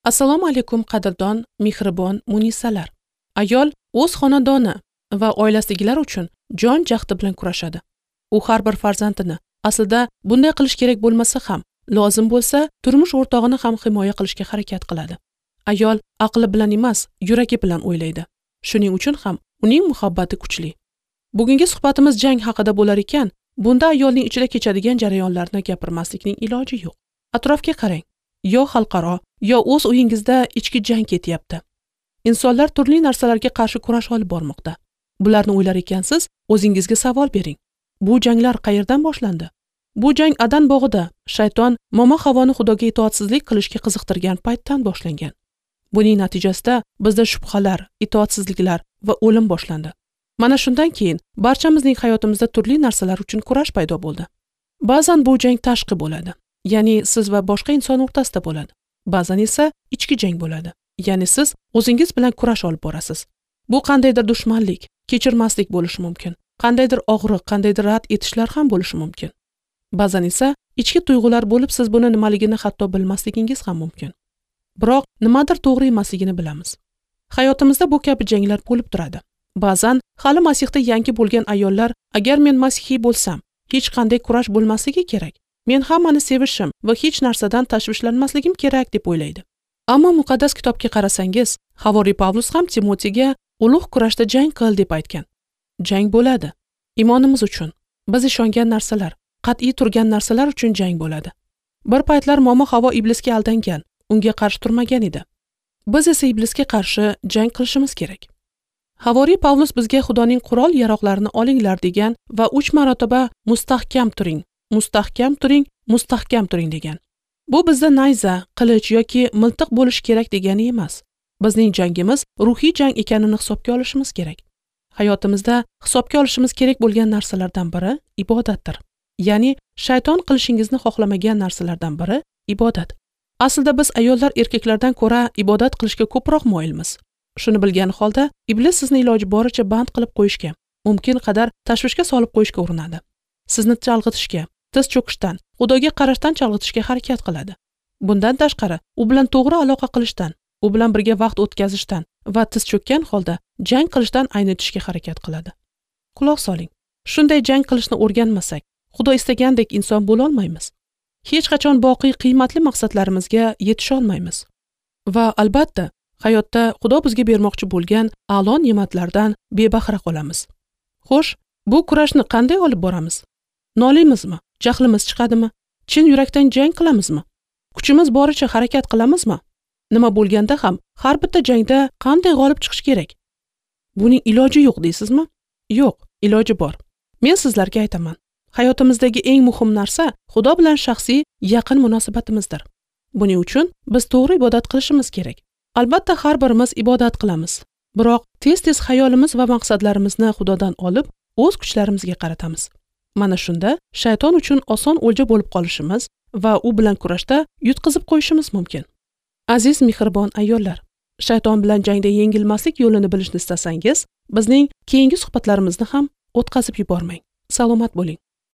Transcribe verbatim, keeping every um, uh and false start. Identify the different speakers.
Speaker 1: Assalomu alaykum qadrdon, mehribon munisalar. Ayol o'z xonadoni va oilasidagilar uchun jon jahdi bilan kurashadi. U har bir farzandini, aslida bunday qilish kerak bo'lmasa ham, lozim bo'lsa, turmush o'rtog'ini ham himoya qilishga harakat qiladi. Ayol aqli bilan emas, yuragi bilan o'ylaydi. Shuning uchun ham uning muhabbati kuchli. Bugungi suhbatimiz jang haqida bo'lar ekan, bunda ayolning ichida kechadigan jarayonlarni gapirmaslikning iloji yo'q. Atrofga qarang. Yo xalqaro, yo o'z uyingizda ichki jang ketyapti. Insonlar turli narsalarga qarshi kurash olib bormoqda. Bularni o'ylar ekansiz, o'zingizga savol bering. Bu janglar qayerdan boshlandi? Bu jang Adan bog'ida shayton momo Havoni Xudoga itoatsizlik qilishga qiziqtirgan paytdan boshlangan. Buning natijasida bizda shubhalar, itoatsizliklar va o'lim boshlandi. Mana shundan keyin barchamizning hayotimizda turli narsalar uchun kurash paydo bo'ldi. Ba'zan bu jang tashqi bo'ladi, ya'ni siz va boshqa inson o'rtasida bo'ladi. Ba'zan esa ichki jang bo'ladi, ya'ni siz o'zingiz bilan kurash olib borasiz. Bu qandaydir dushmanlik, kechirmaslik bo'lishi mumkin. Qandaydir og'riq, qandaydir rad etishlar ham bo'lishi mumkin. Ba'zan esa ichki tuyg'ular bo'lib, siz buni nimaligini hatto bilmasligingiz ham mumkin. Biroq nimadir to'g'ri emasligini bilamiz. Hayotimizda bu kabi janglar bo'lib turadi. Ba'zan hali Masihda yangi bo'lgan ayollar, agar men masihiy bo'lsam, hech qanday kurash bo'lmasligi kerak. Men hammani sevishim va hech narsadan tashvishlanmasligim kerak deb o'ylaydi. Ammo muqaddas kitobga qarasangiz, Havoriy Pavlus ham Timotiyga ulug' kurashda jang qil deb aytgan. Jang bo'ladi. Imonimiz uchun, biz ishongan narsalar, qat'iy turgan narsalar uchun jang bo'ladi. Bir paytlar momo Havo iblisga aldangan, unga qarshi turmagan edi. Biz esa iblisga qarshi jang qilishimiz kerak. Havoriy Pavlus bizga Xudoning qurol-yaroqlarini olinglar degan va uch marotaba mustahkam turing, mustahkam turing, mustahkam turing degan. Bu bizda nayza, qilich yoki miltiq bo'lishi kerak degani emas. Bizning jangimiz ruhiy jang ekanini hisobga olishimiz kerak. Hayotimizda hisobga olishimiz kerak bo'lgan narsalardan biri ibodatdir. Ya'ni shayton qilishingizni xohlamagan narsalardan biri ibodat. Aslida biz ayollar erkaklardan ko'ra ibodat qilishga ko'proq moyilmiz. Shuni bilgan holda iblis sizni iloji boricha band qilib qo'yishga, mumkin qadar tashvishga solib qo'yishga urinadi. Sizni chalg'itishga, tiz cho'kishdan, Xudoga qarashdan chalg'itishga harakat qiladi. Bundan tashqari, u bilan to'g'ri aloqa qilishdan, u bilan birga vaqt o'tkazishdan va tiz cho'kkan holda jang qilishdan aynitishga harakat qiladi. Quloq soling. Shunday jang qilishni o'rganmasak, Xudo istagandek inson bo'la olmaymiz. Hech qachon boqiy qiymatli maqsadlarimizga yetisha olmaymiz. Va albatta, hayotda Xudo bizga bermoqchi bo'lgan a'lo ne'matlardan bebahra qolamiz. Xo'sh, bu kurashni qanday olib boramiz? Noliymizmi? Jahlimiz chiqadimi? Chin yurakdan jang qilamizmi? Kuchimiz boricha harakat qilamizmi? Nima bo'lganda ham har bitta jangda qanday g'olib chiqish kerak? Buning iloji yo'q deysizmi? Yo'q, iloji bor. Men sizlarga aytaman. Hayotimizdagi eng muhim narsa Xudo bilan shaxsiy yaqin munosabatimizdir. Buning uchun biz to'g'ri ibodat qilishimiz kerak. Albatta har birimiz ibodat qilamiz. Biroq tez-tez xayolimiz va maqsadlarimizni Xudodan olib, o'z kuchlarimizga qaratamiz. Mana shunda shayton uchun oson o'lja bo'lib qolishimiz va u bilan kurashda yutqizib qo'yishimiz mumkin. Aziz mehribon ayollar, shayton bilan jangda yengilmaslik yo'lini bilishni istasangiz, bizning keyingi suhbatlarimizni ham o'tkazib yubormang. Salomat bo'ling.